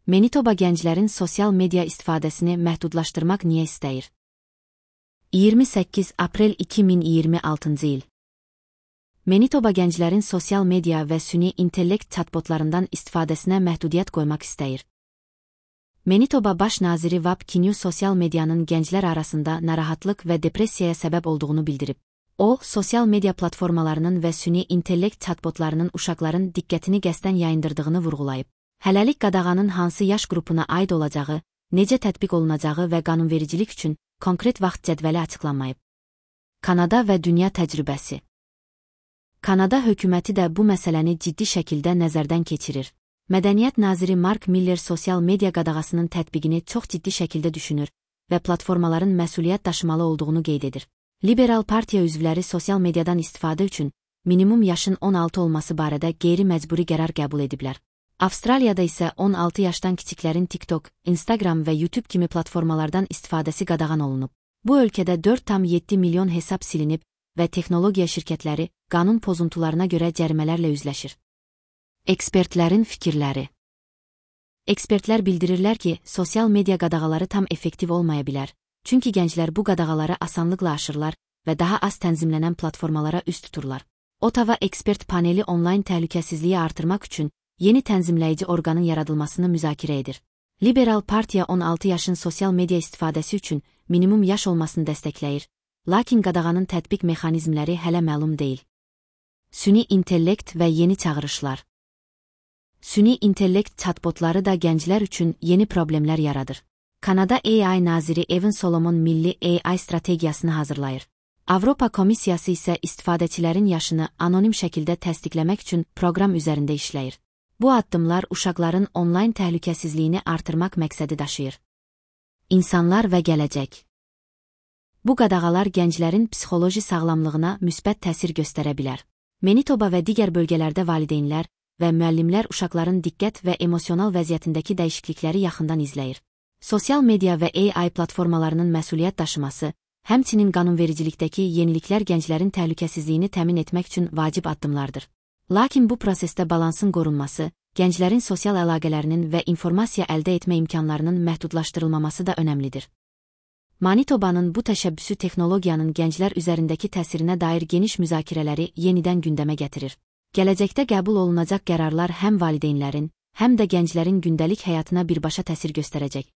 Manitoba gənclərin sosial media istifadəsini məhdudlaşdırmaq niyə istəyir? 28 aprel 2026-cı il. Manitoba gənclərin sosial media və süni intellekt chatbotlarından istifadəsinə məhdudiyyət qoymaq istəyir. Manitoba baş naziri Wab Kinew sosial medianın gənclər arasında narahatlıq və depressiyaya səbəb olduğunu bildirib. O, sosial media platformalarının və süni intellekt chatbotlarının uşaqların diqqətini qəsdən yayındırdığını vurğulayıb. Hələlik qadağanın hansı yaş qrupuna aid olacağı, necə tətbiq olunacağı və qanunvericilik üçün konkret vaxt cədvəli açıqlanmayıb. Kanada və dünya təcrübəsi. Kanada hökuməti də bu məsələni ciddi şəkildə nəzərdən keçirir. Mədəniyyət naziri Mark Miller sosial media qadağasının tətbiqini çox ciddi şəkildə düşünür və platformaların məsuliyyət daşımalı olduğunu qeyd edir. Liberal partiya üzvləri sosial mediadan istifadə üçün minimum yaşın 16 olması barədə qeyri-məcburi qərar qəbul ediblər. Avstraliyada isə 16 yaşdan kiçiklərin TikTok, Instagram və YouTube kimi platformalardan istifadəsi qadağan olunub. Bu ölkədə 4,7 milyon hesab silinib və texnologiya şirkətləri qanun pozuntularına görə cərimələrlə üzləşir. Ekspertlərin fikirləri. Ekspertlər bildirirlər ki, sosial media qadağaları tam effektiv olmaya bilər, çünki gənclər bu qadağaları asanlıqla aşırlar və daha az tənzimlənən platformalara üst tuturlar. Ottawa ekspert paneli onlayn təhlükəsizliyi artırmaq üçün yeni tənzimləyici orqanın yaradılmasını müzakirə edir. Liberal partiya 16 yaşın sosial media istifadəsi üçün minimum yaş olmasını dəstəkləyir, lakin qadağanın tətbiq mexanizmləri hələ məlum deyil. Süni intellekt və yeni çağırışlar. Süni intellekt chatbotları da gənclər üçün yeni problemlər yaradır. Kanada AI naziri Evan Solomon milli AI strategiyasını hazırlayır. Avropa Komissiyası isə istifadəçilərin yaşını anonim şəkildə təsdiqləmək üçün proqram üzərində işləyir. Bu addımlar uşaqların onlayn təhlükəsizliyini artırmaq məqsədi daşıyır. İnsanlar və gələcək. Bu qadağalar gənclərin psixoloji sağlamlığına müsbət təsir göstərə bilər. Manitoba və digər bölgələrdə valideynlər və müəllimlər uşaqların diqqət və emosional vəziyyətindəki dəyişiklikləri yaxından izləyir. Sosial media və AI platformalarının məsuliyyət daşıması, həmçinin qanunvericilikdəki yeniliklər gənclərin təhlükəsizliyini təmin etmək üçün vacib addımlardır. Lakin bu prosesdə balansın qorunması, gənclərin sosial əlaqələrinin və informasiya əldə etmə imkanlarının məhdudlaşdırılmaması da önəmlidir. Manitobanın bu təşəbbüsü texnologiyanın gənclər üzərindəki təsirinə dair geniş müzakirələri yenidən gündəmə gətirir. Gələcəkdə qəbul olunacaq qərarlar həm valideynlərin, həm də gənclərin gündəlik həyatına birbaşa təsir göstərəcək.